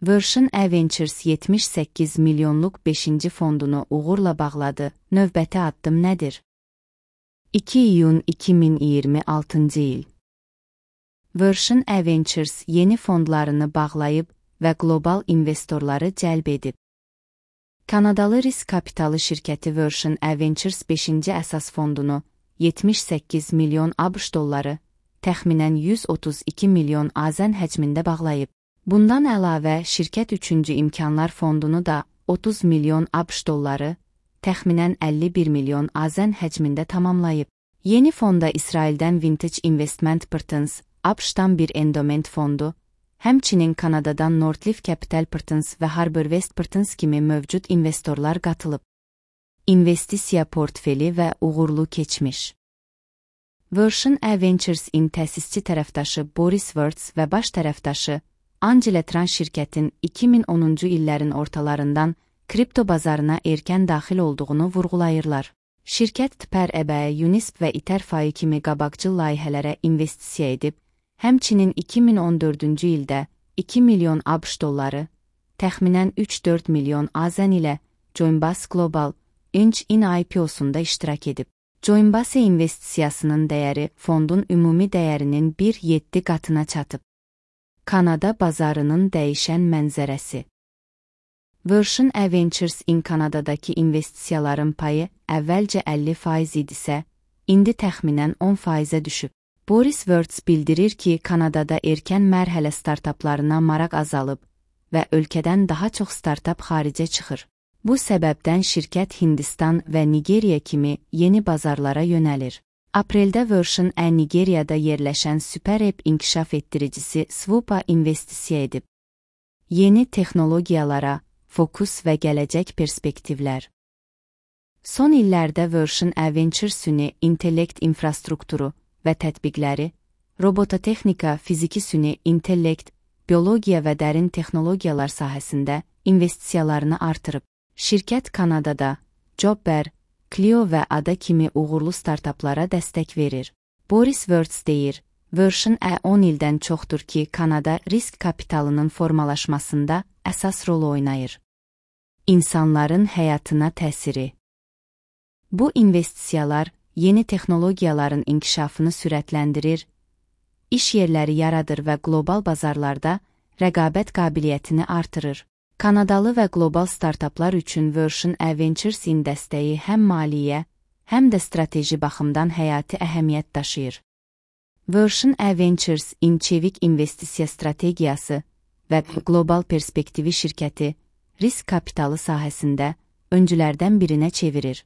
Version E Ventures 78 milyonluq 5-ci fondunu uğurla bağladı. Növbəti addım nədir? 2 iyun 2026 il. Version E Ventures yeni fondlarını bağlayıb və qlobal investorları cəlb edib. Kanadalı risk kapitalı şirkəti Version E Ventures 5-ci əsas fondunu 78 milyon ABŞ dolları, təxminən 132 milyon AZN həcmində bağlayıb. Bundan əlavə, şirkət 3-cü imkanlar fondunu da 30 milyon ABŞ dolları, təxminən 51 milyon AZN həcmində tamamlayıb. Yeni fonda İsraildən Vintage Investment Partners, ABŞ-dan bir endowment fondu, həmçinin Kanadadan Northleaf Capital Partners və HarborWest Partners kimi mövcud investorlar qatılıb. İnvestisiya portfeli və uğurlu keçmiş. Version E Ventures-in təsisçi tərəfdaşı Boris Wirtz və baş tərəfdaşı Angela Tran şirkətin 2010-cu illərin ortalarından kripto bazarına erkən daxil olduğunu vurğulayırlar. Şirkət TPR EBE, Unisp və İTERFAI kimi qabaqcıl layihələrə investisiya edib, həmçinin 2014-cü ildə 2 milyon ABŞ dolları, təxminən 3-4 milyon AZN ilə Joinbase Global Inc.'in IPO-sunda iştirak edib. Joinbase investisiyasının dəyəri fondun ümumi dəyərinin 1,7 qatına çatıb. Kanada bazarının dəyişən mənzərəsi. Version E Ventures-in Kanadadakı investisiyaların payı əvvəlcə 50% idisə, indi təxminən 10%-ə düşüb. Boris Wirtz bildirir ki, Kanadada erkən mərhələ startaplarına maraq azalıb və ölkədən daha çox startap xaricə çıxır. Bu səbəbdən şirkət Hindistan və Nigeriya kimi yeni bazarlara yönəlir. Apreldə Version E Nigeriyada yerləşən SuperApp inkişaf etdiricisi Swoopa investisiya edib. Yeni texnologiyalara fokus və gələcək perspektivlər. Son illərdə Version E Ventures süni intellekt infrastrukturu və tətbiqləri, robototexnika, fiziki süni intellekt, biologiya və dərin texnologiyalar sahəsində investisiyalarını artırıb. Şirkət Kanadada Jobber, Clio və Ada kimi uğurlu startaplara dəstək verir. Boris Wirtz deyir, Version E 10 ildən çoxdur ki, Kanada risk kapitalının formalaşmasında əsas rol oynayır. İnsanların həyatına təsiri. Bu investisiyalar yeni texnologiyaların inkişafını sürətləndirir, iş yerləri yaradır və qlobal bazarlarda rəqabət qabiliyyətini artırır. Kanadalı və qlobal startaplar üçün Version E Ventures-in dəstəyi həm maliyyə, həm də strateji baxımdan həyati əhəmiyyət daşıyır. Version E Ventures-in çevik investisiya strategiyası və qlobal perspektivi şirkəti risk kapitalı sahəsində öncülərdən birinə çevirir.